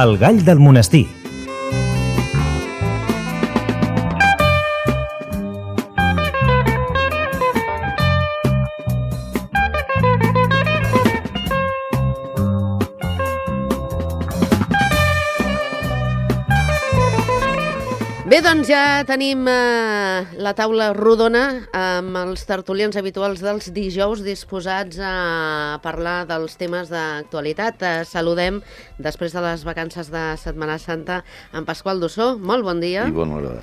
El gall del monestir. Bé, doncs ja tenim la taula rodona amb els tertulians habituals dels dijous disposats a parlar dels temes d'actualitat. Saludem, després de les vacances de Setmana Santa, en Pasqual Dussó. Molt bon dia. I bona hora.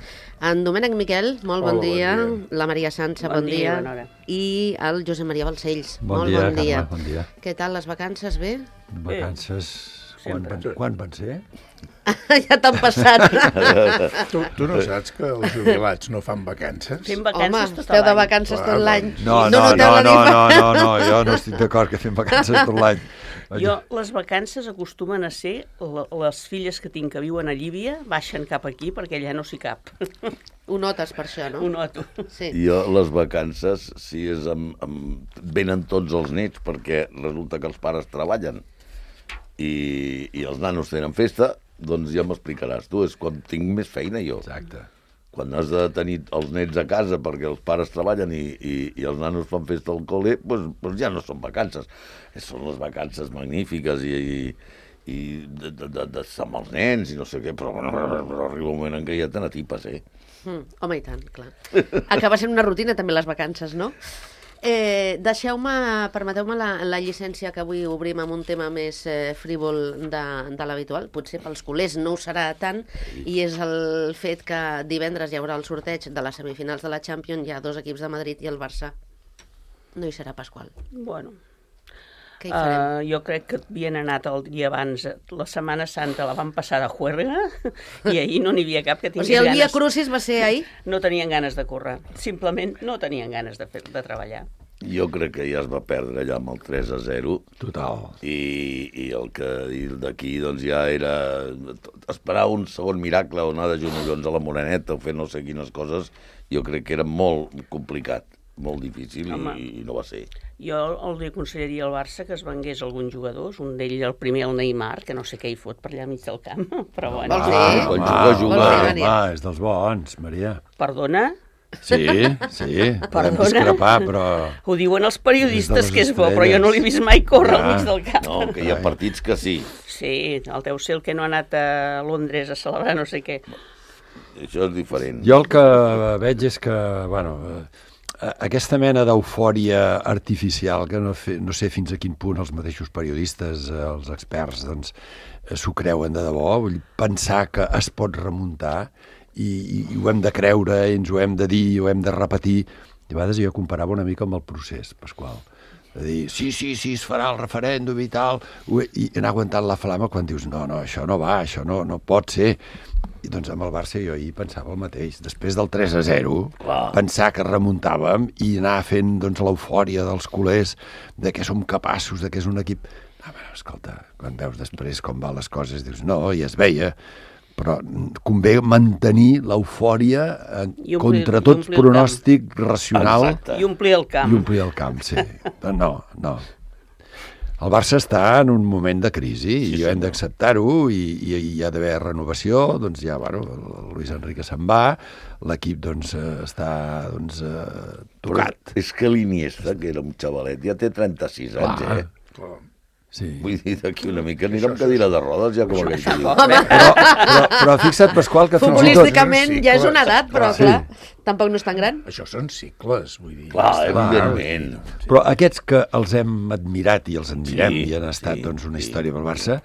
En Domènec Miquel, molt bon dia. Bon dia. La Maria Sança, bon dia. Bona hora. I el Josep Maria Balcells. Bon molt dia, bon dia. Carme, bon dia. Què tal les vacances? Bé? Vacances... Quan van ser? Ja t'han passat. Tu no saps que els jubilats no fan vacances? Fem vacances Home, tot esteu de l'any. vacances tot l'any. No, jo no estic d'acord que fem vacances tot l'any. Jo, les vacances acostumen a ser les filles que tinc que viuen a Llívia baixen cap aquí perquè allà no s'hi cap. Ho notes per això, no? Ho noto. Sí. Jo, les vacances, si és venen tots els nets, perquè resulta que els pares treballen i els nanos tenen festa, doncs ja m'explicaràs tu, és quan tinc més feina jo. Exacte. Quan has de tenir els nets a casa perquè els pares treballen i els nanos fan festa al col·le, doncs ja no són vacances. Són les vacances magnífiques i d'estar amb els nens i no sé què, però arriba un moment en què ja te n'atipes, Home, i tant, clar. Acaba sent una rutina també les vacances, no? Permeteu-me la llicència que avui obrim amb un tema més frívol de l'habitual, potser pels culers no ho serà tant, i és el fet que divendres hi haurà el sorteig de les semifinals de la Champions, hi ha dos equips de Madrid i el Barça. No hi serà Pasqual. Bueno, Què hi farem? jo crec que havien anat el dia abans, la Setmana Santa la van passar de juerga i ahir no n'hi havia cap que O tingués sigui, el Via ganes. Crucis va ser ahir? No tenien ganes de córrer, simplement no tenien ganes de treballar. Jo crec que ja es va perdre allà amb el 3-0. Total. I el que dir d'aquí doncs ja era esperar un segon miracle o anar de genollons a la Moreneta o fer no sé quines coses, jo crec que era molt complicat, molt difícil i no va ser. Jo li aconsellaria al Barça que es vengués alguns jugadors, un d'ells el primer, el Neymar, que no sé què hi fot per allà al mig del camp, però bueno. Vols dir? Quan Vols juga. dir, Maria? Home, és dels bons, Maria. Perdona? Sí, podem Perdona? discrepar, però... Ho diuen els periodistes Des de les que és bo, estrelles. però jo no l'he vist mai córrer al Ja. mig del camp. No, que hi ha partits que sí. Sí, el deu ser el que no ha anat a Londres a celebrar no sé què. Això és diferent. Jo el que veig és que, bueno, aquesta mena d'eufòria artificial, que no sé fins a quin punt els mateixos periodistes, els experts, doncs, s'ho creuen de debò, vull dir, pensar que es pot remuntar i ho hem de creure, i ens ho hem de dir, ho hem de repetir. I a vegades jo comparava una mica amb el procés, Pasqual. De dir, sí, es farà el referèndum i tal, i anar aguantant la flama quan dius, no, això no va, això no pot ser. I doncs amb el Barça jo ahir pensava el mateix. Després del 3-0, pensar que remuntàvem i anar fent doncs, l'eufòria dels culers, de que som capaços, de que és un equip... Escolta, quan veus després com van les coses, dius, no, ja es veia, però convé mantenir l'eufòria contra tot pronòstic racional. Exacte. I omplir el camp. I omplir el camp, sí. No. El Barça està en un moment de crisi i hem d'acceptar-ho i hi ha d'haver renovació, doncs ja, bueno, el Luis Enrique se'n va, l'equip doncs està tocat. Però és que l'Iniesta, que era un xavalet, ja té 36 anys, Sí. Vull dir, d'aquí una mica anirà amb cadira de rodes, ja com aquell que diu. Però fixa't, Pasqual, que fins i tot... Futbolísticament ja és una edat, però clar, tampoc no és tan gran. Això són cicles, vull dir. Clar, evidentment. Però aquests que els hem admirat i els admirem Sí, i han estat doncs, una sí. història pel Barça,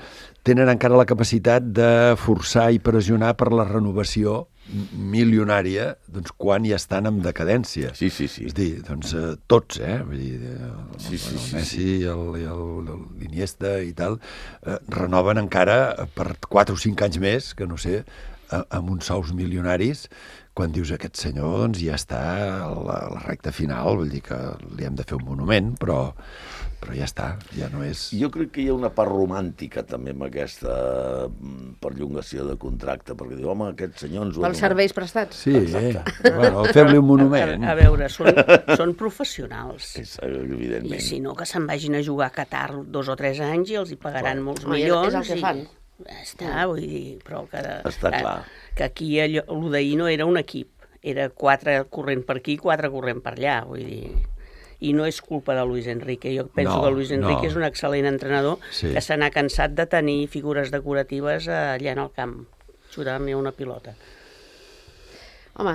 tenen encara la capacitat de forçar i pressionar per la renovació milionària doncs, quan ja estan en decadència. Sí. És a dir, doncs, tots, vull dir, Sí. el Messi i l'Iniesta i tal, renoven encara per 4 o 5 anys més, que no sé, amb uns sous milionaris, quan dius aquest senyor doncs, ja està a la recta final, vull dir que li hem de fer un monument, però ja està, ja no és... Jo crec que hi ha una part romàntica també amb aquesta perllongació de contracte, perquè diu, home, aquest senyor ens ho... Pels serveis prestats. Sí, bueno, fem-li un monument. A veure, són professionals. Evidentment. I si no, que se'n vagin a jugar a Qatar 2 o 3 anys i els hi pagaran molts Home, milions. és el que fan. Està, vull dir, però que... Està clar. Que aquí el d'ahir no era un equip, era 4 corrent per aquí, 4 corrent per allà, vull dir... I no és culpa de Luis Enrique. Jo penso que Luis Enrique és un excel·lent entrenador que se n'ha cansat de tenir figures decoratives allà en el camp, xutant-li una pilota. Home,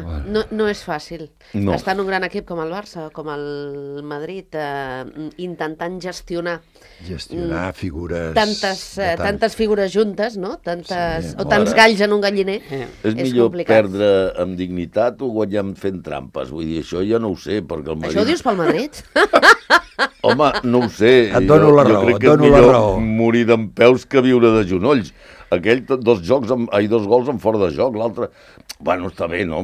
no és fàcil. Estar en un gran equip com el Barça, com el Madrid, intentant gestionar figures... Tantes figures juntes, no? Tants galls en un galliner. És millor perdre amb dignitat o guanyar fent trampes. Vull dir, això ja no ho sé, perquè el Madrid... Això ho dius pel Madrid? Home, no ho sé. Et dono la raó, jo crec que és millor morir dempeus que viure de genolls. Aquell, 2 gols en fora de joc, l'altre... Bueno, està bé, no?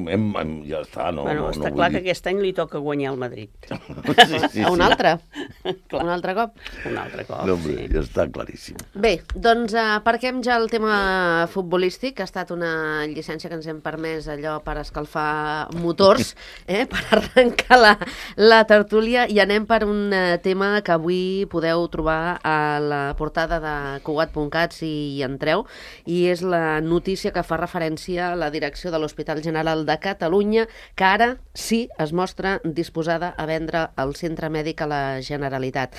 Ja està, no? Bueno, està clar que aquest any li toca guanyar el Madrid. A un altre? Un altre cop? Un altre cop, no, hombre, ja està claríssim. Bé, doncs aparquem ja el tema futbolístic, que ha estat una llicència que ens hem permès allò per escalfar motors, per arrencar la tertúlia, i anem per un tema que avui podeu trobar a la portada de Cugat.cat si hi entreu, i és la notícia que fa referència a la direcció de l'Hospital General de Catalunya, que ara sí es mostra disposada a vendre el centre mèdic a la Generalitat.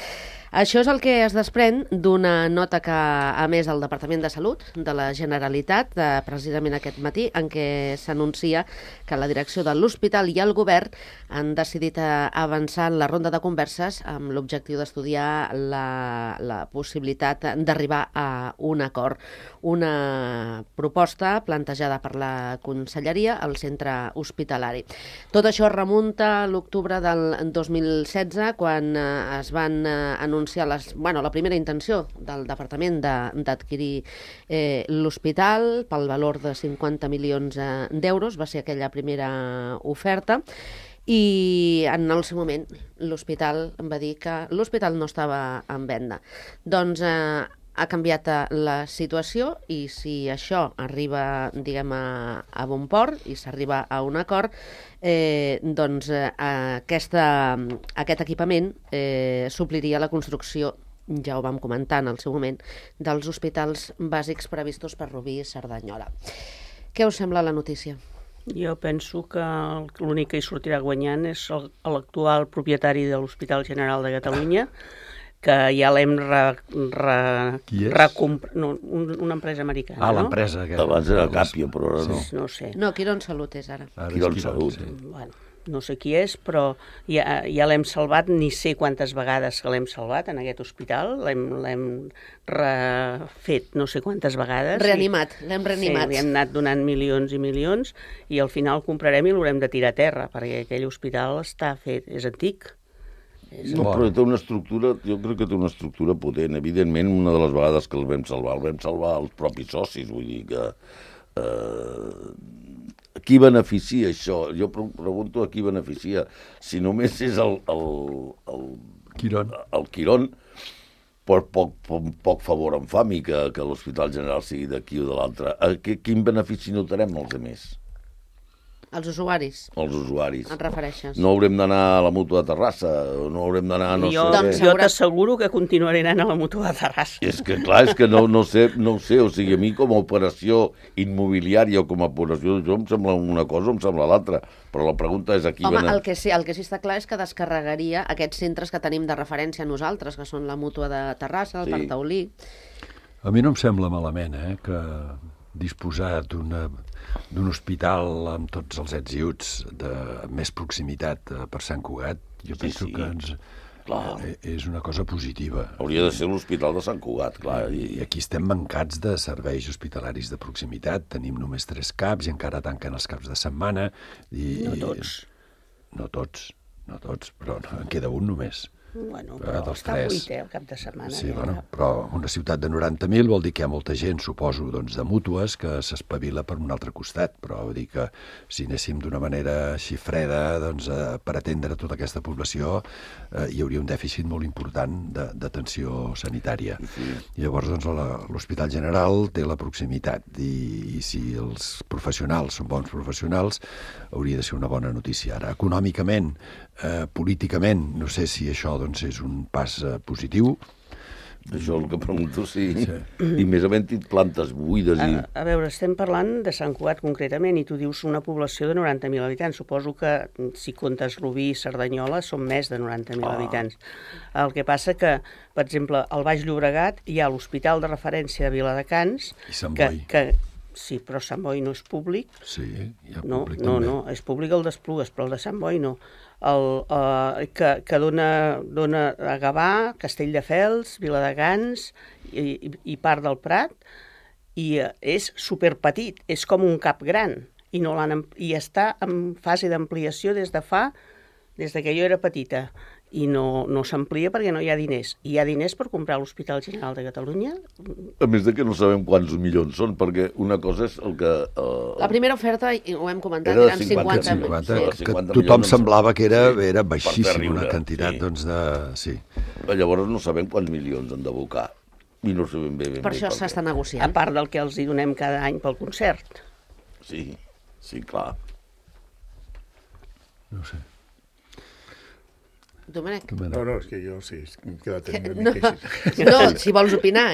Això és el que es desprèn d'una nota que ha emès el Departament de Salut de la Generalitat, precisament aquest matí, en què s'anuncia que la direcció de l'hospital i el govern han decidit avançar en la ronda de converses amb l'objectiu d'estudiar la possibilitat d'arribar a un acord. Una proposta plantejada per la Conselleria al centre hospitalari. Tot això remunta a l'octubre del 2016, quan es van anunciar la primera intenció del departament d'adquirir l'hospital pel valor de 50 milions d'euros. Va ser aquella primera oferta. I en el seu moment l'hospital va dir que l'hospital no estava en venda. Doncs ha canviat la situació, i si això arriba, diguem, a bon port i s'arriba a un acord, doncs aquest equipament supliria la construcció, ja ho vam comentar en el seu moment, dels hospitals bàsics previstos per Rubí i Cerdanyola. Què us sembla la notícia? Jo penso que l'únic que hi sortirà guanyant és l'actual propietari de l'Hospital General de Catalunya, que ja l'hem recomprat... Una empresa americana, no? L'empresa. Abans era Capio, però ara no. No sé. No, Quirón Salut és ara. Quirón Salut. Bueno, no sé qui és, però ja l'hem salvat, ni sé quantes vegades que l'hem salvat en aquest hospital, l'hem refet no sé quantes vegades. L'hem reanimat. Sí, li hem anat donant milions i milions, i al final el comprarem i l'haurem de tirar a terra, perquè aquell hospital està fet, és antic. No, però té una estructura, jo crec que té una estructura potent. Evidentment, una de les vegades que el vam salvar els propis socis, vull dir que... A qui beneficia això? Jo pregunto a qui beneficia. Si només és el Quirón, per poc favor em fa a mi que l'Hospital General sigui d'aquí o de l'altre. Quin benefici notarem els altres? Els usuaris. Els usuaris. Et refereixes? No haurem d'anar a la Mútua de Terrassa, o no haurem d'anar... Jo t'asseguro que continuaré anant a la Mútua de Terrassa. És que, clar, no sé, o sigui, a mi com a operació immobiliària o com a operació de em sembla una cosa o em sembla l'altra, però la pregunta és aquí... Home, el que sí està clar és que descarregaria aquests centres que tenim de referència nosaltres, que són la Mútua de Terrassa, el Parc Taulí... A mi no em sembla malament, que disposar d'un hospital amb tots els ets i uts de més proximitat per Sant Cugat, jo penso que és una cosa positiva. Hauria de ser l'Hospital de Sant Cugat, clar. I aquí estem mancats de serveis hospitalaris de proximitat. Tenim només 3 CAPs i encara tanquen els caps de setmana. No tots. No tots, però en queda un només. Bueno, però està buit, el cap de setmana. Sí, però una ciutat de 90.000 vol dir que hi ha molta gent, suposo, de mútues, que s'espavila per un altre costat, però vull dir que si anéssim d'una manera així freda per atendre tota aquesta població hi hauria un dèficit molt important d'atenció sanitària. Llavors, l'Hospital General té la proximitat i si els professionals són bons professionals, hauria de ser una bona notícia. Ara, econòmicament, políticament, no sé si això és un pas positiu. Això el que pregunto, sí. I més havent-hi plantes buides. A veure, estem parlant de Sant Cugat concretament i tu dius una població de 90.000 habitants. Suposo que si comptes Rubí i Cerdanyola són més de 90.000 habitants. El que passa que, per exemple, al Baix Llobregat hi ha l'Hospital de Referència de Viladecans. I Sant Boi. Sí, però Sant Boi no és públic. Sí, hi ha públic també. No, és públic el d'Esplugues, però el de Sant Boi no. Que dona a Gavà, Castelldefels, Viladecans i part del Prat, i és superpetit, és com un cap gran, i està en fase d'ampliació des que jo era petita. I no s'amplia perquè no hi ha diners. Hi ha diners per comprar l'Hospital General de Catalunya? A més de que no sabem quants milions són, perquè una cosa és el que... La primera oferta, ho hem comentat, eren 50 milions. Que tothom semblava que era baixíssim, una quantitat, doncs, de... Sí. Llavors no sabem quants milions han d'abocar. I no sabem bé. Per això s'està negociant. A part del que els hi donem cada any pel concert. Sí, clar. No sé. Domènec? No, és que jo sí, m'he quedat una mica així. No, si vols opinar,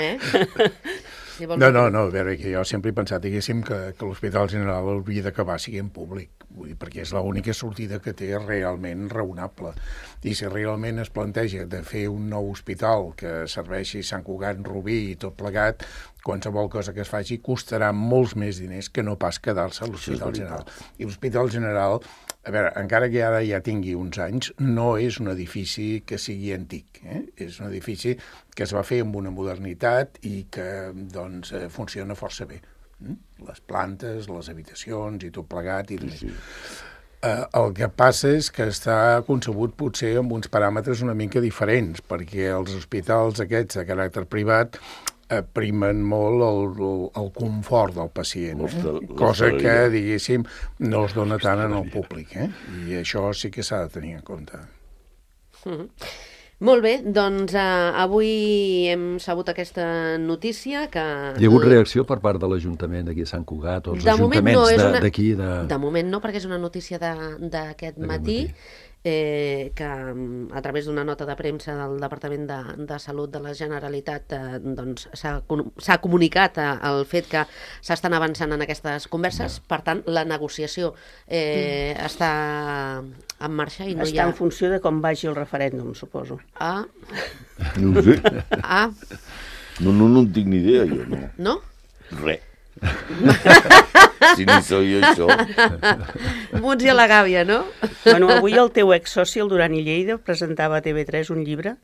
No, a veure, que jo sempre he pensat, diguéssim, que l'Hospital General hauria d'acabar sent públic, vull dir, perquè és l'única sortida que té realment raonable. I si realment es planteja de fer un nou hospital que serveixi Sant Cugat, Rubí i tot plegat, qualsevol cosa que es faci costarà molts més diners que no pas quedar-se a l'Hospital General. I l'Hospital General, a veure, encara que ara ja tingui uns anys, no és un edifici que sigui antic. És un edifici que es va fer amb una modernitat i que doncs, funciona força bé. Les plantes, les habitacions i tot plegat. El que passa és que està concebut potser amb uns paràmetres una mica diferents, perquè els hospitals aquests de caràcter privat primen molt el confort del pacient, cosa que, diguéssim, no es dona tant en el públic, i això sí que s'ha de tenir en compte. Molt bé, doncs avui hem sabut aquesta notícia que... Hi ha hagut reacció per part de l'Ajuntament d'aquí a Sant Cugat, o els ajuntaments d'aquí? De moment no, perquè és una notícia d'aquest matí, que a través d'una nota de premsa del Departament de Salut de la Generalitat doncs, s'ha comunicat el fet que s'estan avançant en aquestes converses. Per tant, la negociació està en marxa i no hi ha... Està en funció de com vagi el referèndum, suposo. No ho sé. No en tinc ni idea, jo no. No? Res. Si ni soy jo això. Muts i a la gàbia, no? Bueno, avui el teu exsoci, el Duran i Lleida, presentava a TV3 un llibre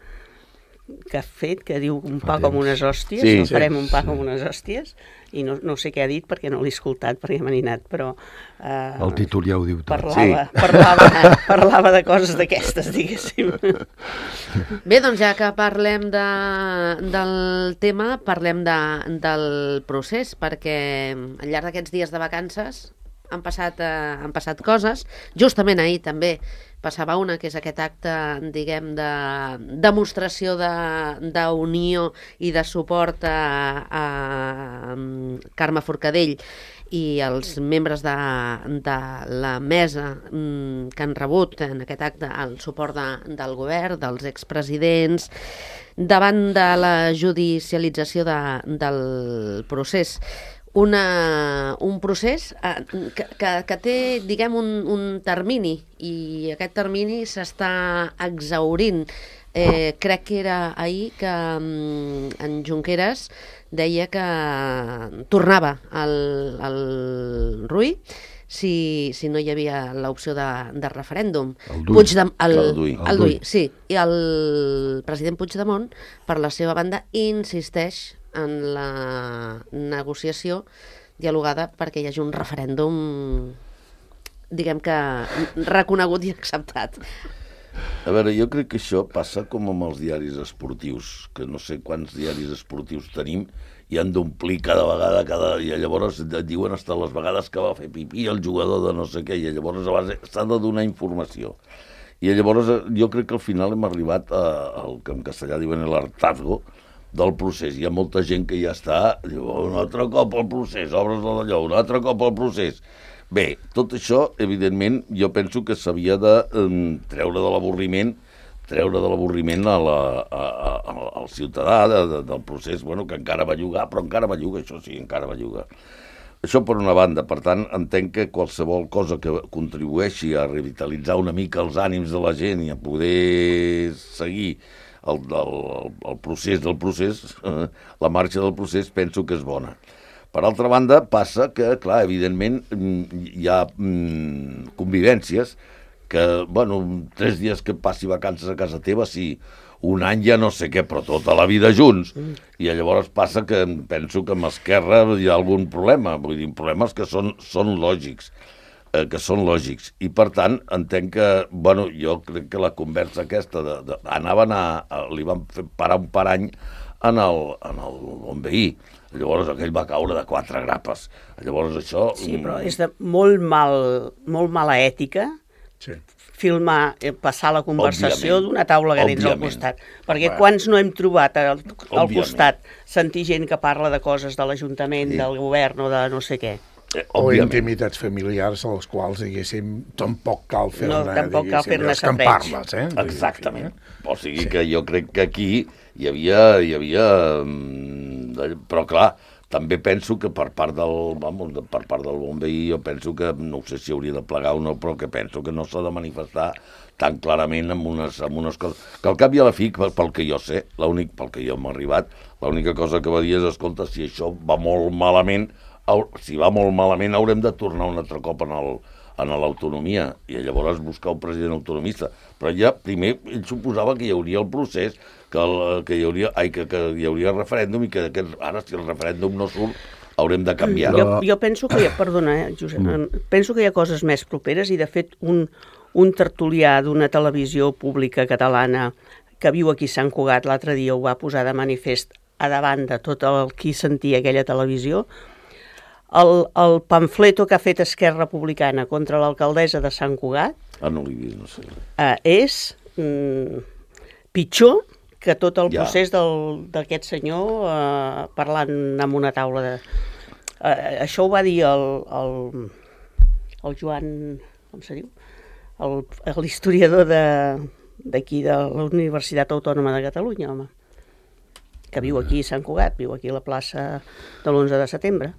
que ha fet, que diu un pa com unes hòsties, farem un pa com unes hòsties, i no sé què ha dit perquè no l'he escoltat, perquè m'ha ninat, però... El títol ja ho diu tot. Parlava de coses d'aquestes, diguéssim. Bé, doncs ja que parlem del tema, parlem del procés, perquè al llarg d'aquests dies de vacances han passat coses. Justament ahir també passava una, que és aquest acte, diguem, de demostració d'unió i de suport a Carme Forcadell i els membres de la mesa que han rebut en aquest acte el suport del govern, dels expresidents, davant de la judicialització del procés. Un procés que té, diguem, un termini, i aquest termini s'està exhaurint. Crec que era ahir que en Junqueras deia que tornava al Rull si no hi havia l'opció de referèndum. El Duy. Sí. I el president Puigdemont, per la seva banda, insisteix en la negociació dialogada perquè hi hagi un referèndum, diguem que reconegut i acceptat. A veure, jo crec que això passa com amb els diaris esportius, que no sé quants diaris esportius tenim i han d'omplir cada vegada, i llavors et diuen hasta les vegades que va fer pipí el jugador de no sé què, i llavors a base s'ha de donar informació. I llavors jo crec que al final hem arribat al que en castellà diuen l'hartazgo del procés. Hi ha molta gent que ja està, diu, un altre cop al procés, obres de d'allò, un altre cop al procés. Bé, tot això, evidentment, jo penso que s'havia de treure de l'avorriment treure de l'avorriment al ciutadà del procés, que encara belluga, però encara belluga, això sí, encara belluga. Això per una banda. Per tant, entenc que qualsevol cosa que contribueixi a revitalitzar una mica els ànims de la gent i a poder seguir el procés del procés, la marxa del procés, penso que és bona. Per altra banda, passa que, clar, evidentment, hi ha convivències que, 3 dies que passi vacances a casa teva, sí, un any ja no sé què, però tota la vida junts. I llavors passa que penso que amb Esquerra hi ha algun problema, vull dir, problemes que són lògics, I, per tant, entenc que, jo crec que la conversa aquesta li van fer parar un parany en el bon veí. Llavors aquell va caure de 4 grapes. Llavors això... Sí, però és de molt mala ètica filmar, passar la conversació d'una taula que tens al costat. Perquè quants no hem trobat al costat sentir gent que parla de coses de l'Ajuntament, del govern o de no sé què. O intimitats familiars a les quals, diguéssim, tampoc cal fer-ne escampar-les. Exactament. O sigui que jo crec que aquí hi havia... Però clar, també penso que per part del bon veí, jo penso que, no sé si hauria de plegar o no, però que penso que no s'ha de manifestar tan clarament amb unes coses. Que al cap i a la fi, pel que jo sé, pel que jo m'ha arribat, l'única cosa que va dir és, escolta, si això va molt malament, haurem de tornar un altre cop en l'autonomia i llavors buscar un president autonomista. Però ja primer ell suposava que hi hauria el procés, que hi hauria referèndum i que ara, si el referèndum no surt, haurem de canviar. Jo penso que Josep, penso que hi ha coses més properes i, de fet, un tertulià d'una televisió pública catalana que viu aquí a Sant Cugat l'altre dia ho va posar de manifest a davant de tot el qui sentia aquella televisió. El pamfleto que ha fet Esquerra Republicana contra l'alcaldessa de Sant Cugat no l'he vist, no sé. És pitjor que tot el procés d'aquest senyor parlant amb una taula de... Això ho va dir el Joan... com se diu? L'historiador d'aquí, de la Universitat Autònoma de Catalunya, home, que viu aquí a Sant Cugat, viu aquí a la plaça de l'11 de setembre.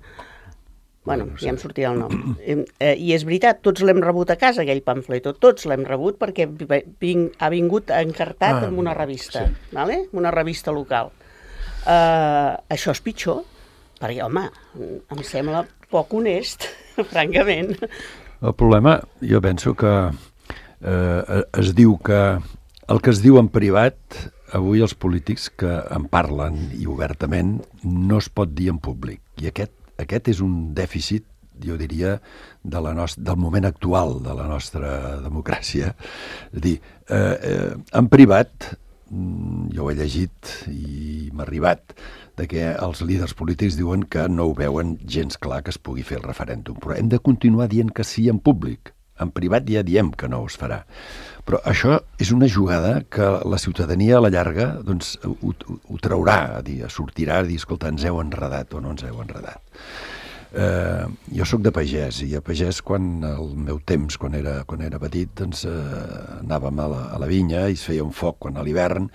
Ja em sortirà el nom. I és veritat, tots l'hem rebut a casa, aquell pamfleto, tots l'hem rebut perquè ha vingut encartat en una revista, una revista local. Això és pitjor, perquè, home, em sembla poc honest, francament. El problema, jo penso que es diu que el que es diu en privat, avui els polítics que en parlen i obertament no es pot dir en públic, i aquest és un dèficit, jo diria, del moment actual de la nostra democràcia. És a dir, en privat, jo ho he llegit i m'ha arribat, de que els líders polítics diuen que no ho veuen gens clar que es pugui fer el referèndum. Però hem de continuar dient que sí en públic. En privat ja diem que no es farà. Però això és una jugada que la ciutadania a la llarga ho traurà, sortirà a dir, escolta, ens heu enredat o no ens heu enredat. Jo sóc de pagès, i a pagès, quan el meu temps, quan era petit, anàvem a la vinya i es feia un foc quan a l'hivern,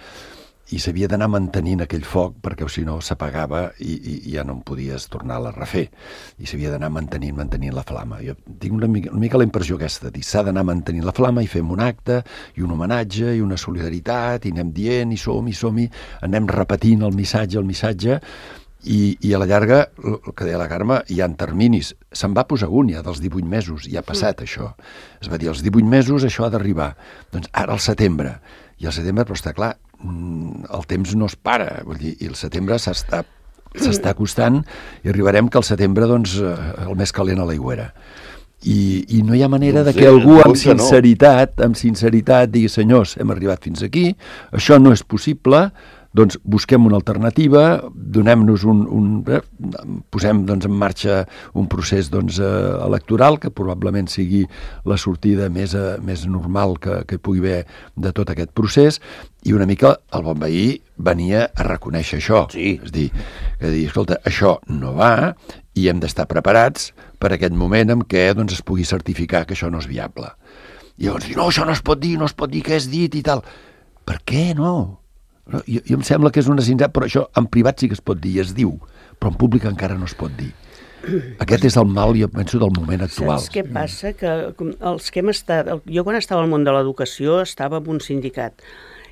i s'havia d'anar mantenint aquell foc perquè si no s'apagava i ja no en podies tornar a refer, i s'havia d'anar mantenint la flama. Jo tinc una mica la impressió aquesta, dir, s'ha d'anar mantenint la flama i fem un acte i un homenatge i una solidaritat i anem dient i som-hi, anem repetint el missatge i a la llarga, el que deia la Carme, hi ha terminis. Se'n va posar un ja dels 18 mesos, ja ha passat això. Es va dir, als 18 mesos això ha d'arribar. Doncs ara al setembre. I al setembre, però està clar, el temps no es para, vull dir, i el setembre s'està acostant i arribarem que al setembre, el més calent a l'aigüera. I no hi ha manera de que algú amb sinceritat digui, senyors, hem arribat fins aquí, això no és possible, doncs busquem una alternativa, donem-nos posem en marxa un procés electoral que probablement sigui la sortida més normal que pugui haver de tot aquest procés, i una mica el bon veí venia a reconèixer això. Sí. És dir, escolta, això no va i hem d'estar preparats per aquest moment en què es pugui certificar que això no és viable. I llavors dir, no, això no es pot dir, què has dit i tal. Per què no? Jo em sembla que és una sinceritat, però això en privat sí que es pot dir, es diu, però en públic encara no es pot dir. Aquest és el mal, jo penso, del moment actual. Saps què passa? Que els que hem estat... Jo quan estava al món de l'educació estava en un sindicat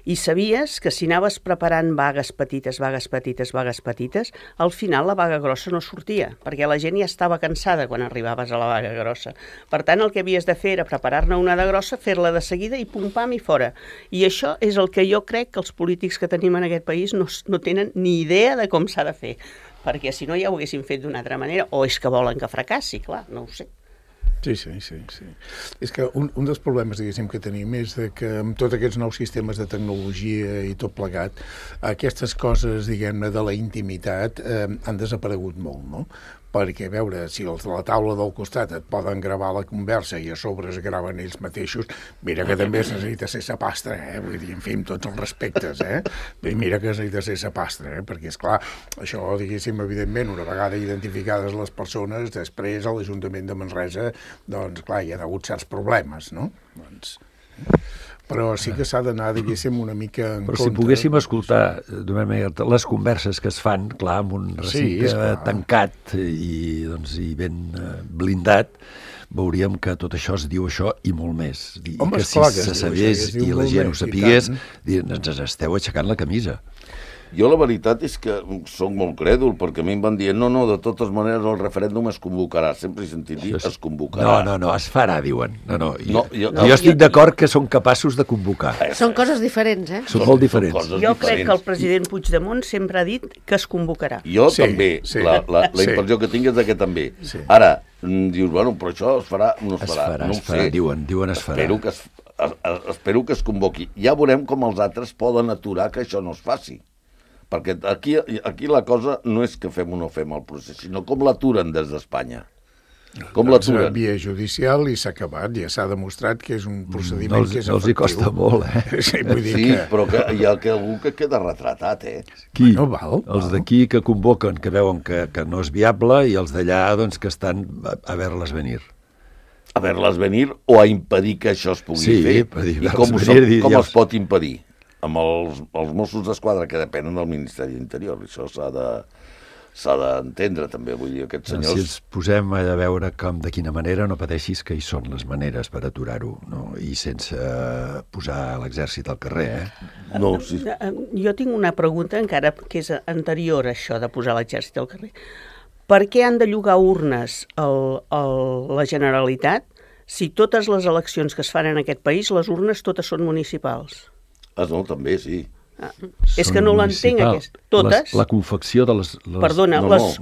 i sabies que si anaves preparant vagues petites, al final la vaga grossa no sortia, perquè la gent ja estava cansada quan arribaves a la vaga grossa. Per tant, el que havies de fer era preparar-ne una de grossa, fer-la de seguida i pum-pam i fora. I això és el que jo crec que els polítics que tenim en aquest país no tenen ni idea de com s'ha de fer, perquè si no ja ho haguessin fet d'una altra manera, o és que volen que fracassi, clar, no ho sé. Sí. És que un dels problemes, diguéssim, que tenim és que amb tots aquests nous sistemes de tecnologia i tot plegat, aquestes coses, diguem-ne, de la intimitat han desaparegut molt, no? Perquè, a veure, si els de la taula del costat et poden gravar la conversa i a sobre es graven ells mateixos, mira que també es necessita ser sapastre, vull dir, en fi, amb tots els respectes, mira que es necessita ser sapastre, perquè, esclar, això, diguéssim, evidentment, una vegada identificades les persones, després a l'Ajuntament de Manresa, doncs, clar, hi ha hagut certs problemes, no? Doncs... Però sí que s'ha d'anar, diguéssim, una mica en compte. Però si poguéssim escoltar les converses que es fan, clar, amb un recinte tancat i ben blindat, veuríem que tot això es diu això i molt més. I que si se sabés i la gent ho sapigués, ens esteu aixecant la camisa. Jo la veritat és que soc molt crèdul, perquè a mi em van dir no, de totes maneres el referèndum es convocarà. Sempre he sentit dir es convocarà. No, es farà, diuen. Jo estic d'acord que són capaços de convocar. Són coses diferents, Són molt diferents. Jo crec que el president Puigdemont sempre ha dit que es convocarà. Jo també. La impressió que tinc és que també. Ara, dius, bueno, però això es farà, no es farà. Es farà, diuen es farà. Espero que es convoqui. Ja veurem com els altres poden aturar que això no es faci. Perquè aquí la cosa no és que fem o no fem el procés, sinó com l'aturen des d'Espanya. Com l'aturen? Via judicial i s'ha acabat, ja s'ha demostrat que és un procediment que és efectiu. No els hi costa molt, Sí, però hi ha algú que queda retratat, Qui? Els d'aquí que convoquen, que veuen que no és viable, i els d'allà que estan a veure-les venir. A veure-les venir o a impedir que això es pugui fer. I com es pot impedir? Amb els Mossos d'Esquadra que depenen del Ministeri d'Interior. Això s'ha d'entendre també, vull dir, aquests senyors... Si ens posem a veure de quina manera, no pateixis que hi són les maneres per aturar-ho, no? I sense posar l'exèrcit al carrer, No, sí. Jo tinc una pregunta encara que és anterior a això de posar l'exèrcit al carrer. Per què han de llogar urnes a la Generalitat si totes les eleccions que es fan en aquest país, les urnes totes són municipals? No, també, sí. És que no l'entenc, totes. La confecció de les... Perdona, les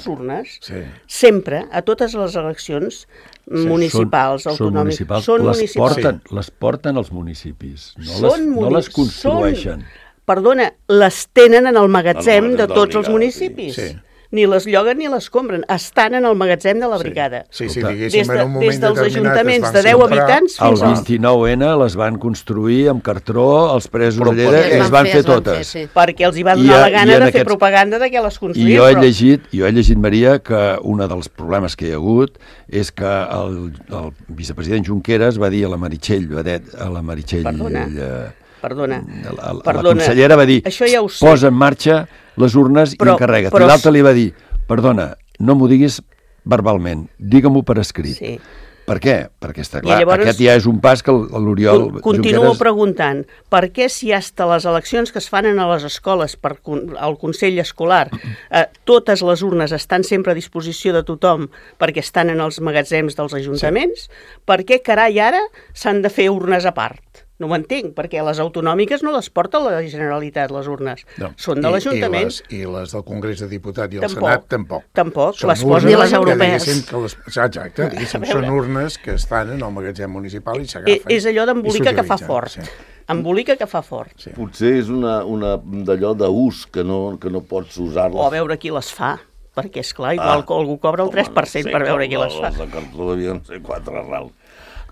urnes, sempre, a totes les eleccions municipals, autonòmiques, són municipals. Les porten els municipis, no les construeixen. Perdona, les tenen en el magatzem de tots els municipis. Ni les lloguen ni les compren. Estan en el magatzem de la brigada. Sí, diguéssim, en un moment des dels ajuntaments de 10 habitants fins al... El 29N les van construir amb cartró, els presos a Lleida, i les van fer totes. Perquè els hi va donar la gana de fer propaganda de que les construïen. I jo he llegit, Maria, que un dels problemes que hi ha hagut és que el vicepresident Junqueras va dir a la Meritxell Badet, Perdona. La consellera va dir, posa en marxa les urnes i encarrega't. I l'altre li va dir, perdona, no m'ho diguis verbalment, digue-m'ho per escrit. Sí. Per què? Perquè està clar, aquest ja és un pas que l'Oriol Junqueras... Continuo preguntant, per què si hasta les eleccions que es fan a les escoles al Consell Escolar, totes les urnes estan sempre a disposició de tothom perquè estan en els magatzems dels ajuntaments, per què carai ara s'han de fer urnes a part? No ho entenc, perquè les autonòmiques no les porta la Generalitat, les urnes. Són de l'Ajuntament. I les del Congrés de Diputats i el Senat, tampoc. Tampoc, les posen les europees. Exacte, són urnes que estan en el magatzem municipal i s'agafen. És allò d'embolica que fa fort. Embolica que fa fort. Potser és una d'allò d'ús que no pots usar-les. O a veure qui les fa. Perquè, esclar, igual que algú cobra el 3% per veure qui les fa. Les de cartó devien ser 4 rals.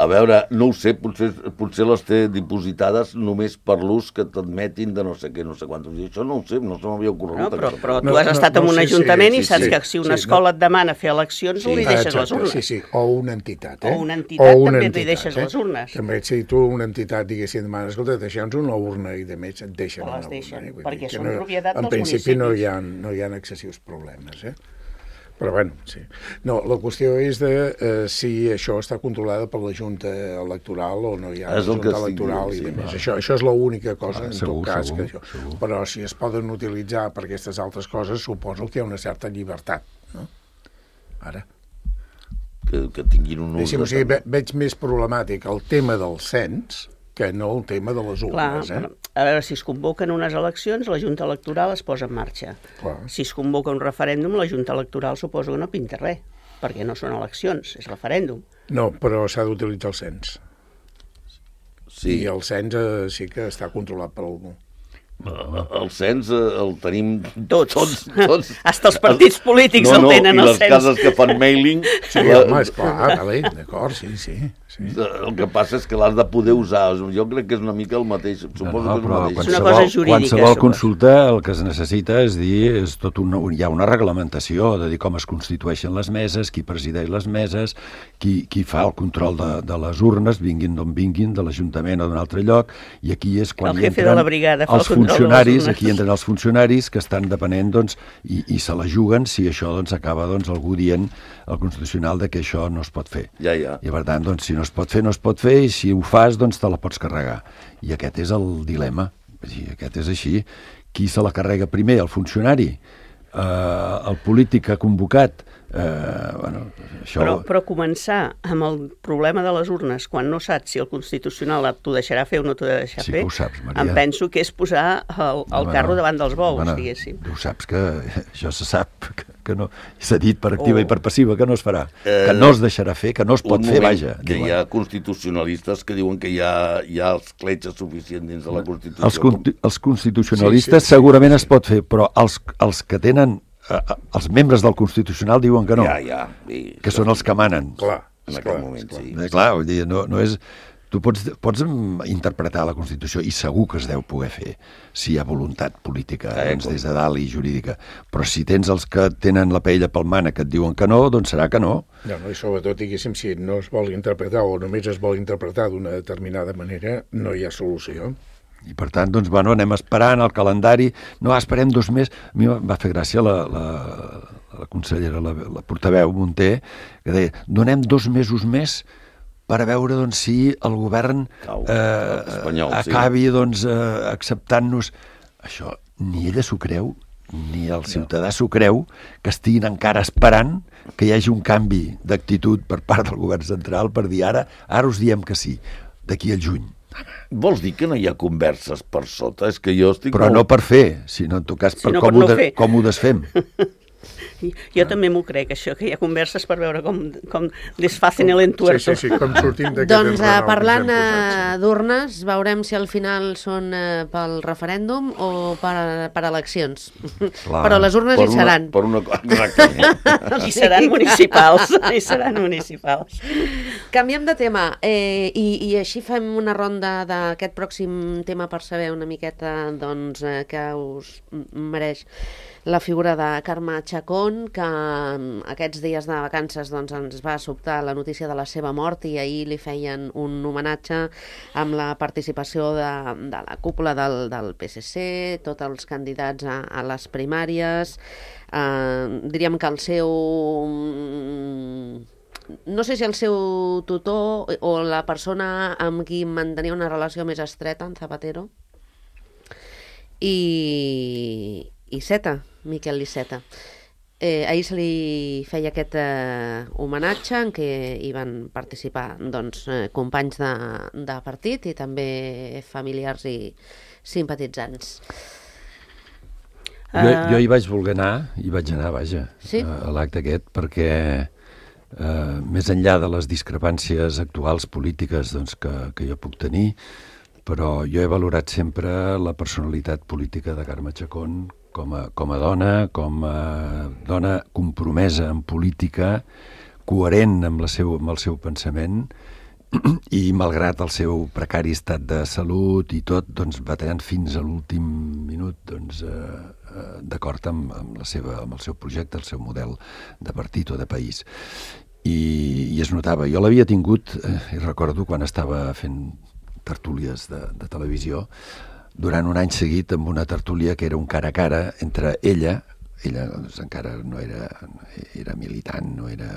A veure, no ho sé, potser les té dipositades només per l'ús que t'admetin de no sé què, no sé quantos. I això no ho sé, no se m'havia ocorregut. Però tu has estat en un ajuntament i saps que si una escola et demana fer eleccions, li deixes les urnes. Sí, o una entitat. O una entitat també li deixes les urnes. També, si tu una entitat, diguéssim, demana, escolta, deixa'ns una urna i de més et deixen una urna. Perquè són propietat dels municipis. En principi no hi ha excessius problemes, Però bueno, sí. No, la qüestió és de si això està controlada per la Junta Electoral o no hi ha Junta Electoral i demés. Això és l'única cosa, en tot cas. Però si es poden utilitzar per aquestes altres coses, suposo que hi ha una certa llibertat, no? Ara. Que tinguin un ús. O sigui, veig més problemàtic el tema del cens que no el tema de les urnes. A veure, si es convoquen unes eleccions, la Junta Electoral es posa en marxa. Si es convoca un referèndum, la Junta Electoral suposo que no pinta res, perquè no són eleccions, és referèndum. No, però s'ha d'utilitzar el cens. Sí. I el cens sí que està controlat per algú. El cens el tenim tots. Hasta els partits polítics el tenen, el cens. I les cases que fan mailing... Sí, home, esclar, d'acord, sí. El que passa és que l'has de poder usar. Jo crec que és una mica el mateix. Suposo que és el mateix. És una cosa jurídica. Qualsevol consulta el que es necessita és dir, hi ha una reglamentació de dir com es constitueixen les meses, qui presideix les meses, qui fa el control de les urnes, vinguin d'on vinguin, de l'Ajuntament o d'un altre lloc, i aquí és quan hi entren els funcionaris, aquí entren els funcionaris que estan depenent, doncs, i se la juguen si això acaba algú dient al Constitucional que això no es pot fer. Ja. I per tant, si no es pot fer, no es pot fer, i si ho fas, te la pots carregar. I aquest és el dilema. Aquest és així. Qui se la carrega primer? El funcionari? El polític que ha convocat? Això... Però començar amb el problema de les urnes, quan no saps si el Constitucional t'ho deixarà fer o no t'ho deixarà fer, que ho saps, Maria. em penso que és posar el carro davant dels bous, diguéssim. Tu saps que això se sap, que no, s'ha dit per activa i per passiva que no es farà, que no es deixarà fer, que no es pot fer, vaja. Que hi ha constitucionalistes que diuen que hi ha els cletxes suficients dins de la Constitució. Els constitucionalistes segurament es pot fer, però els que tenen els membres del Constitucional diuen que no, que són els que manen. Clar, en aquell moment, sí. Clar, vull dir, no és... Tu pots interpretar la Constitució, i segur que es deu poder fer, si hi ha voluntat política des de dalt i jurídica. Però si tens els que tenen la paella pel mànec que et diuen que no, doncs serà que no. No, i sobretot, diguéssim, si no es vol interpretar o només es vol interpretar d'una determinada manera, no hi ha solució. I per tant, doncs, anem esperant el calendari. No, esperem 2 mesos. A mi va fer gràcia la consellera, la portaveu Munté, que deia, donem 2 mesos més per a veure si el govern acabi acceptant-nos. Això ni ella s'ho creu, ni el ciutadà s'ho creu, que estiguin encara esperant que hi hagi un canvi d'actitud per part del govern central per dir ara us diem que sí, d'aquí al juny. Vols dir que no hi ha converses per sota? És que jo estic... Però no per fer, sinó en tot cas per com ho desfem. Jo també m'ho crec, això, que hi ha converses per veure com desfacen l'entuerto. Sí, com sortim d'aquest doncs parlant d'urnes, veurem si al final són pel referèndum o per eleccions. Clar. Però les urnes hi seran. I seran municipals. Canviem de tema, i així fem una ronda d'aquest pròxim tema per saber una miqueta què us mereix la figura de Carme Chacón, que aquests dies de vacances ens va sobtar la notícia de la seva mort i ahir li feien un homenatge amb la participació de la cúpula del PSC, tots els candidats a les primàries. Diríem que el seu... No sé si el seu tutor o la persona amb qui mantenia una relació més estreta, en Zapatero, i Iceta, Miquel Iceta. Ahir se li feia aquest homenatge en què hi van participar companys de partit i també familiars i simpatitzants. Jo hi vaig voler anar, vaja, sí? A l'acte aquest, perquè més enllà de les discrepàncies actuals polítiques que jo puc tenir, però jo he valorat sempre la personalitat política de Carme Chacón com a dona, compromesa en política, coherent amb el seu pensament i malgrat el seu precari estat de salut i tot, doncs batallant fins a l'últim minut, doncs d'acord amb el seu projecte, el seu model de partit o de país. I es notava. Jo l'havia tingut, i recordo quan estava fent tertúlies de televisió, durant un any seguit amb una tertúlia que era un cara a cara entre ella doncs, encara no era militant, no era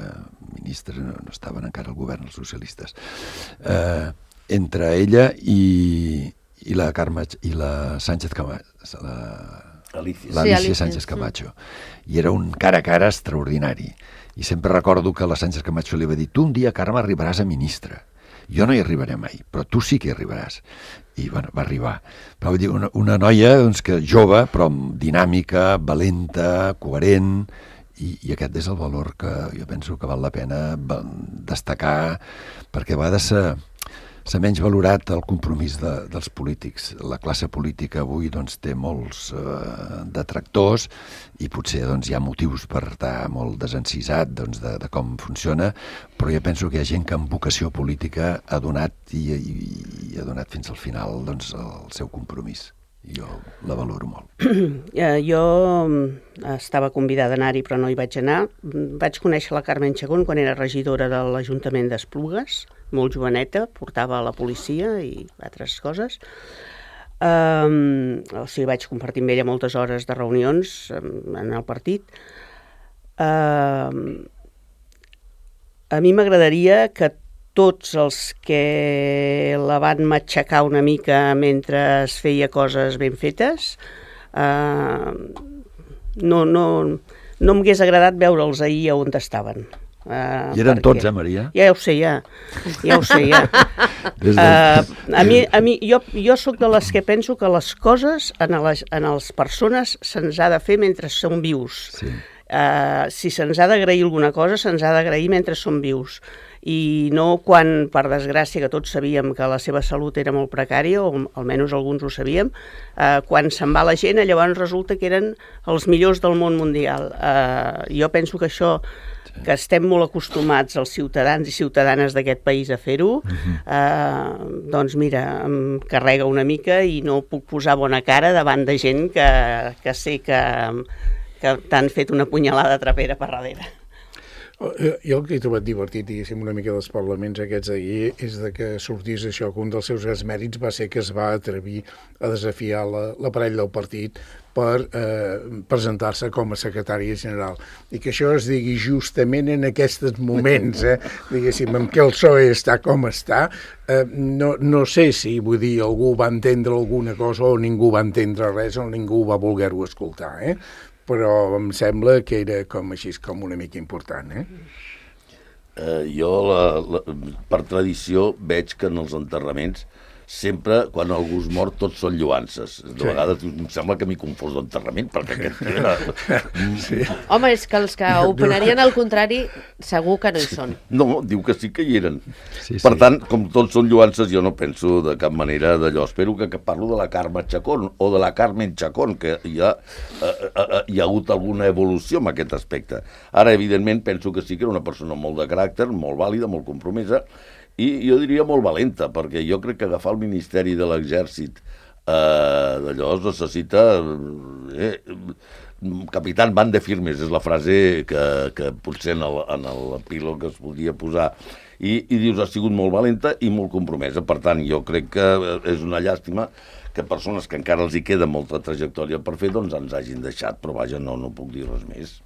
ministre, no estaven encara al govern els socialistes, entre ella i la Carme i la Sánchez Camacho, l'Alicia Sánchez Camacho, i era un cara a cara extraordinari. I sempre recordo que la Sánchez Camacho li va dir: tu un dia, Carme, arribaràs a ministra. Jo no hi arribaré mai, però tu sí que hi arribaràs. I bueno, va arribar. Però vull dir, una noia doncs, que jove, però dinàmica, valenta, coherent, i aquest és el valor que jo penso que val la pena destacar, perquè va de ser menys valorat el compromís dels polítics. La classe política avui doncs, té molts detractors i potser doncs, hi ha motius per estar molt desencisat doncs, de com funciona, però jo penso que hi ha gent que amb vocació política ha donat i ha donat fins al final doncs, el seu compromís. Jo la valoro molt. Jo estava convidada a anar-hi, però no hi vaig anar. Vaig conèixer la Carmen Chacón quan era regidora de l'Ajuntament d'Esplugues, molt joveneta, portava a la policia i altres coses. O sigui, vaig compartir amb ella moltes hores de reunions en el partit. A mi m'agradaria que tots els que la van matxacar una mica mentre es feia coses ben fetes, no m'hagués agradat veure'ls ahir on estaven. I eren tots, Maria? Ja ho sé, ja. Jo soc de les que penso que les coses a les persones se'ns ha de fer mentre som vius. Sí. Si se'ns ha d'agrair alguna cosa, se'ns ha d'agrair mentre som vius. I no quan, per desgràcia, que tots sabíem que la seva salut era molt precària, o almenys alguns ho sabíem, quan se'n va la gent, llavors resulta que eren els millors del món mundial. Jo penso que això, que estem molt acostumats els ciutadans i ciutadanes d'aquest país a fer-ho, doncs mira, em carrega una mica i no puc posar bona cara davant de gent que sé que t'han fet una punyalada trapera per darrere. Jo el que he trobat divertit, diguéssim, una mica dels parlaments aquests d'ahir, és que sortís això, que un dels seus grans mèrits va ser que es va atrevir a desafiar l'aparell del partit per presentar-se com a secretari general. I que això es digui justament en aquests moments, diguéssim, en què el PSOE està com està, no sé si, vull dir, algú va entendre alguna cosa o ningú va entendre res o ningú va voler-ho escoltar, però em sembla que era com així, com una mica important, Jo, per tradició, veig que en els enterraments sempre, quan algú es mor, tots són lloances. De vegades em sembla que m'hi confós d'enterrament, perquè aquest era... Home, és que els que opinarien al contrari segur que no hi són. No, diu que sí que hi eren. Per tant, com tots són lloances, jo no penso de cap manera d'allò. Espero que parlo de la Carme Chacón o de la Carmen Chacón, que hi ha hagut alguna evolució en aquest aspecte. Ara, evidentment, penso que sí que era una persona molt de caràcter, molt vàlida, molt compromesa, i jo diria molt valenta, perquè jo crec que agafar el Ministeri de l'Exèrcit d'allò es necessita... Capitán van de firmes, és la frase que potser en l'epílog es podia posar. I dius, ha sigut molt valenta i molt compromesa. Per tant, jo crec que és una llàstima que persones que encara els hi queda molta trajectòria per fer, doncs ens hagin deixat, però vaja, no puc dir res més.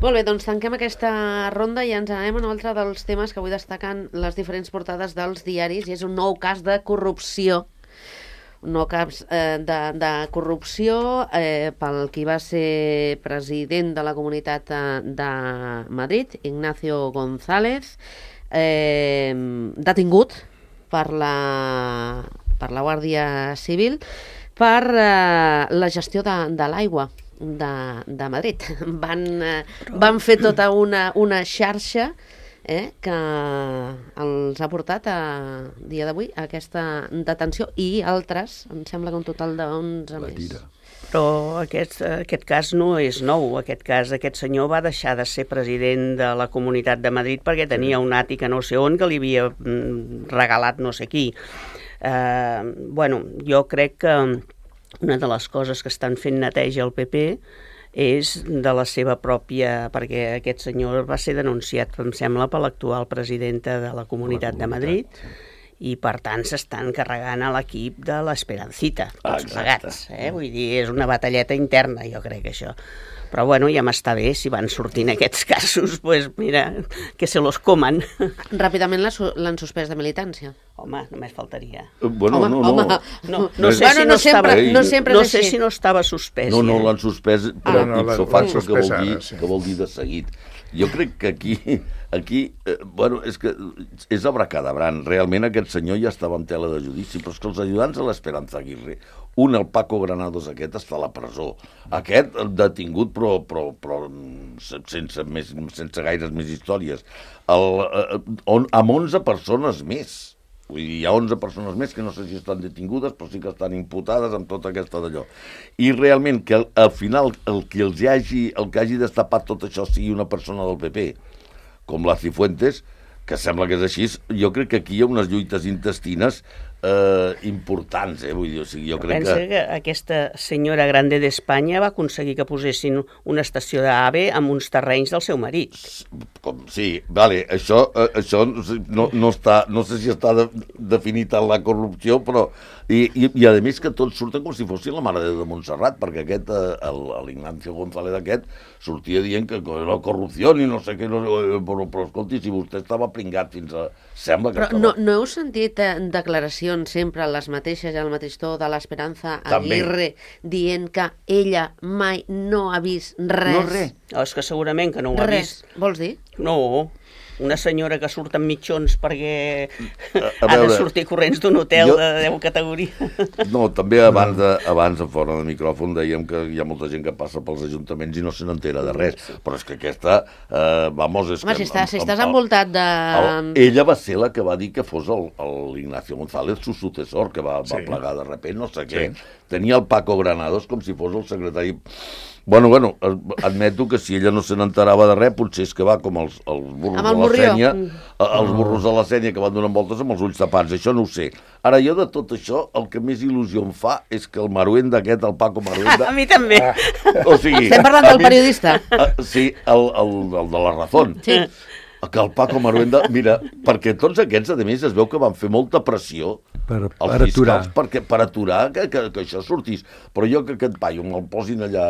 Molt bé, doncs tanquem aquesta ronda i ens anem a un altre dels temes que avui destaquen les diferents portades dels diaris, i és un nou cas de corrupció. Un nou cas de corrupció pel qui va ser president de la Comunitat de Madrid, Ignacio González, detingut per la Guàrdia Civil per la gestió de l'aigua de Madrid. Van fer tota una xarxa que els ha portat a dia d'avui a aquesta detenció i altres, em sembla que un total d'11 més. Però aquest cas no és nou. Aquest senyor va deixar de ser president de la Comunitat de Madrid perquè tenia un àtic a no sé on que li havia regalat no sé qui. Jo crec que una de les coses que estan fent neteja al PP és de la seva pròpia... perquè aquest senyor va ser denunciat, em sembla, per l'actual presidenta de la Comunitat de Madrid, i per tant s'estan carregant a l'equip de l'Esperancita, tots plegats. Vull dir, és una batalleta interna, jo crec, això. Però bueno, ja m'està bé, si van sortint aquests casos, pues mira, que se los coman. Ràpidament l'han suspès de militància. Home, només faltaria. No sé si no estava suspès. No, l'han suspès, però ipso facto, que vol dir de seguit. Jo crec que aquí és que és abracadabran. Realment aquest senyor ja estava en tela de judici, però és que els ajudants de l'Esperanza Aguirre, el Paco Granados aquest, està a la presó. Aquest detingut, però sense gaires més històries. Amb 11 persones més. Vull dir, hi ha 11 persones més que no sé si estan detingudes, però sí que estan imputades amb tota aquesta d'allò. I realment que al final el que hagi destapat tot això sigui una persona del PP, com la Cifuentes, que sembla que és així, jo crec que aquí hi ha unes lluites intestines importants, vull dir, jo crec que aquesta senyora grande d'Espanya va aconseguir que posessin una estació d'AVE amb uns terrenys del seu marit. Sí, vale, això no sé si està definit en la corrupció, però i a més que tots surten com si fossin la Mare de Déu de Montserrat, perquè aquest, l'Ignacio González aquest, sortia dient que era corrupció i no sé què, però escolti, si vostè estava pringat fins a... Sembla que però no heu sentit declaracions sempre les mateixes, al mateix to de l'Esperanza Aguirre dient que ella mai no ha vist res? No, res. És que segurament que no ho ha vist. Vols dir? No, una senyora que surt amb mitjons perquè ha de sortir corrents d'un hotel de 10 categories. No, també abans fora del micròfon dèiem que hi ha molta gent que passa pels ajuntaments i no se n'entera de res, però és que aquesta, vamos... Home, si estàs envoltat de... Ella va ser la que va dir que fos l'Ignacio González, su sucessor, que va plegar de repent, no sé què. Tenia el Paco Granados com si fos el secretari... Bueno, admeto que si ella no se n'enterava de res, potser és que va com els burros de la Sénia, els burros de la Sénia que van donant voltes amb els ulls tapats, això no ho sé. Ara, jo de tot això, el que més il·lusió em fa és que el Maruenda aquest, el Paco Maruenda... A mi també. O sigui... Estem parlant del periodista. Sí, el de la Razón. Sí. Que el Paco Maruenda, mira, perquè tots aquests, a més, es veu que van fer molta pressió als fiscals per aturar que això sortís. Però jo que aquest paio me'l posin allà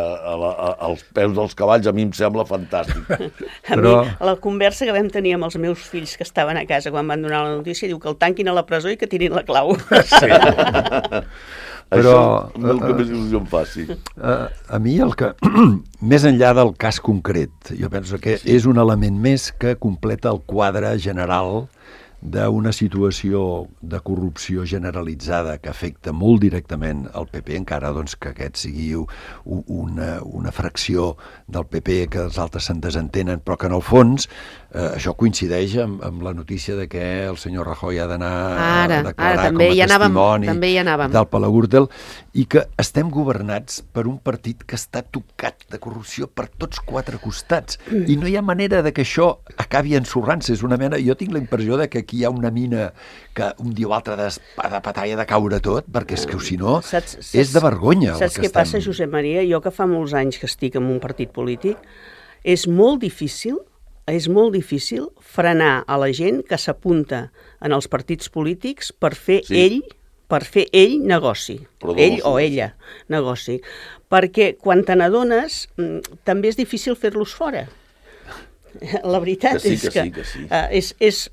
als peus dels cavalls, a mi em sembla fantàstic. A mi, la conversa que vam tenir amb els meus fills que estaven a casa quan van donar la notícia, diu que el tanquin a la presó i que tirin la clau. Sí. Però el que més il·lusió em fa, sí. A mi el que, més enllà del cas concret, jo penso que és un element més que completa el quadre general d'una situació de corrupció generalitzada que afecta molt directament el PP, encara doncs, que aquest sigui una fracció del PP que els altres se'n desentenen, però que en el fons això coincideix amb la notícia de que el senyor Rajoy ha d'anar a declarar com a testimoni del Palau Gürtel, i que estem governats per un partit que està tocat de corrupció per tots quatre costats, i no hi ha manera de que això acabi ensorrant-se. És una mena, jo tinc la impressió de que aquí hi ha una mina que un dia o altre de patalla de caure tot, perquè és que si no és de vergonya. Saps què passa, Josep Maria? Jo que fa molts anys que estic en un partit polític, és molt difícil frenar a la gent que s'apunta en els partits polítics per fer ell negoci, ell o ella negoci, perquè quan te n'adones també és difícil fer-los fora. La veritat és que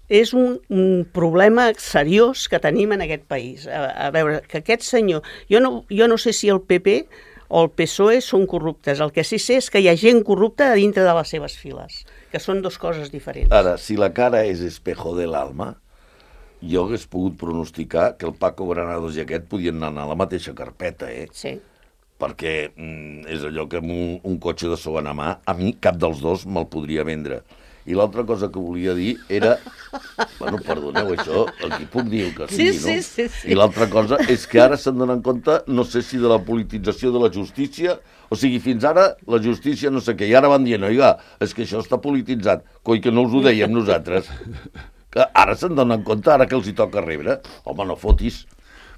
és un problema seriós que tenim en aquest país. A veure, que aquest senyor... Jo no sé si el PP o el PSOE són corruptes. El que sí sé és que hi ha gent corrupta a dintre de les seves files, que són dues coses diferents. Ara, si la cara és espejo del alma, jo hagués pogut pronosticar que el Paco Granados i aquest podien anar a la mateixa carpeta, Sí. Perquè és allò que amb un cotxe de segona mà, a mi cap dels dos me'l podria vendre. I l'altra cosa que volia dir era... Bueno, perdoneu, això, aquí puc dir el que sigui, no? Sí. I l'altra cosa és que ara se'n donen compte, no sé si de la politització de la justícia, o sigui, fins ara la justícia no sé què, i ara van dient, oiga, és que això està polititzat, coi que no us ho dèiem nosaltres. Que ara se'n donen compte, ara que els hi toca rebre. Home, no fotis.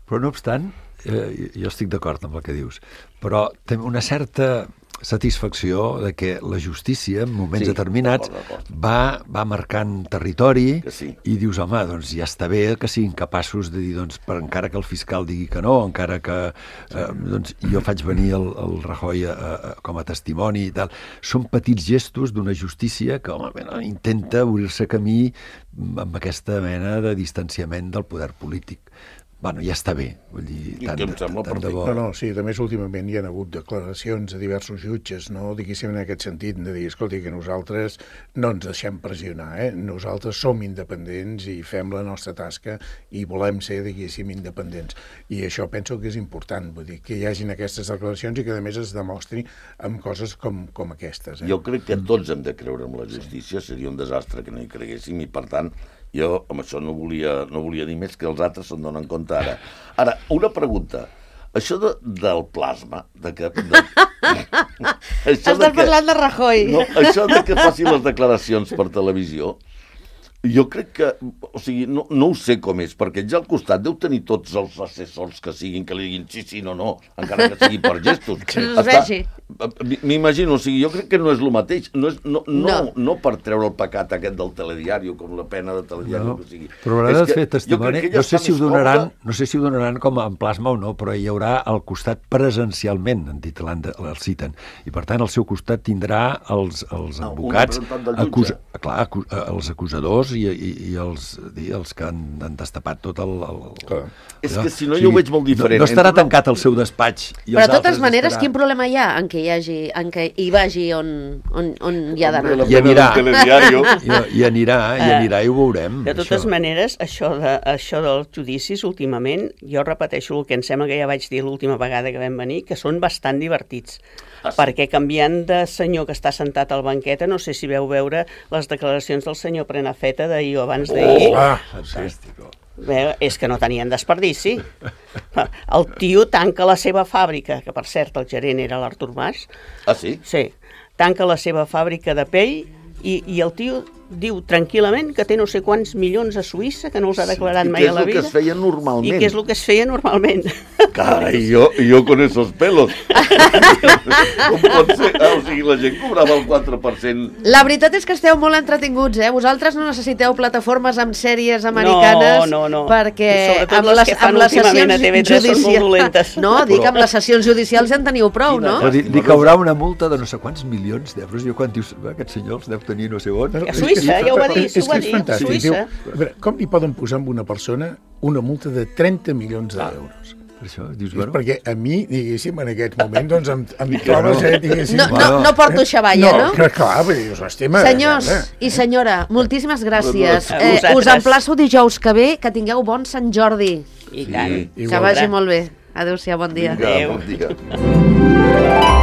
Però no obstant, jo estic d'acord amb el que dius, però té una certa satisfacció de que la justícia en moments determinats va marcant territori i dius, home, doncs ja està bé que siguin capaços de dir, doncs, encara que el fiscal digui que no, encara que doncs, jo faig venir el Rajoy com a testimoni i tal. Són petits gestos d'una justícia que, home, intenta obrir-se camí amb aquesta mena de distanciament del poder polític. Bueno, ja està bé, vull dir, tant de bo. No, sí, també últimament hi ha hagut declaracions de diversos jutges, no? Diguéssim en aquest sentit, de dir, escolti, que nosaltres no ens deixem pressionar, nosaltres som independents i fem la nostra tasca i volem ser, diguéssim, independents. I això penso que és important, vull dir, que hi hagin aquestes declaracions i que a més es demostri amb coses com aquestes. Jo crec que tots hem de creure en la justícia, seria un desastre que no hi creguéssim i, per tant, jo amb això no volia dir més, que els altres se'n donen compte ara. Ara, una pregunta. Això del plasma, Estàs parlant de Rajoy. No, això de que faci les declaracions per televisió, jo crec que, o sigui, no ho sé com és, perquè ja al costat deu tenir tots els assessors que siguin, que li diguin sí, no, encara que sigui per gestos. Que no es vegi. M'imagino, o sigui, jo crec que no és el mateix, no per treure el pecat aquest del telediari, com la pena de telediari que sigui. Però haurà de fer testimoni, no sé si ho donaran com en plasma o no, però hi haurà al costat presencialment, en dit, el citen, i per tant al seu costat tindrà els advocats, els acusadors i els que han destapat tot el... És que si no jo ho veig molt diferent. No estarà tancat el seu despatx. Però de totes maneres, quin problema hi ha en què hi vagi on hi ha d'anar? I anirà i ho veurem. De totes maneres, això dels judicis, últimament, jo repeteixo el que em sembla que ja vaig dir l'última vegada que vam venir, que són bastant divertits. Perquè canviant de senyor que està sentat al banqueta, no sé si veu veure les declaracions del senyor Prenafeta d'ahir o abans d'ahir. Fantàstic. És que no tenien desperdici. El tio tanca la seva fàbrica, que per cert el gerent era l'Artur Mas. Ah, sí? Sí, tanca la seva fàbrica de pell i el tio diu tranquil·lament que té no sé quants milions a Suïssa, que no els ha declarat mai a la vida. I què és el que es feia normalment. I què és el que es feia normalment. Carai, jo con esos pelos. Com pot ser? O sigui, la gent cobrava el 4%. La veritat és que esteu molt entretinguts, Vosaltres no necessiteu plataformes amb sèries americanes perquè amb les sessions judicials... No, dic, amb les sessions judicials ja en teniu prou, no? Dic que haurà una multa de no sé quants milions d'euros. Jo quan dius, aquest senyor els deu tenir no sé on. A Suïssa, ja ho va dir, és fantàstic. Com li poden posar a una persona una multa de 30 milions d'euros? Per això, dius, bueno... Perquè a mi, diguéssim, en aquest moment, doncs, em trobes, diguéssim... No porto xavalla, no? No, clar, és un tema... Senyors i senyora, moltíssimes gràcies. Us emplaço dijous que ve, que tingueu bon Sant Jordi. I tant. Que vagi molt bé. Adéu-siau, bon dia. Vinga, bon dia.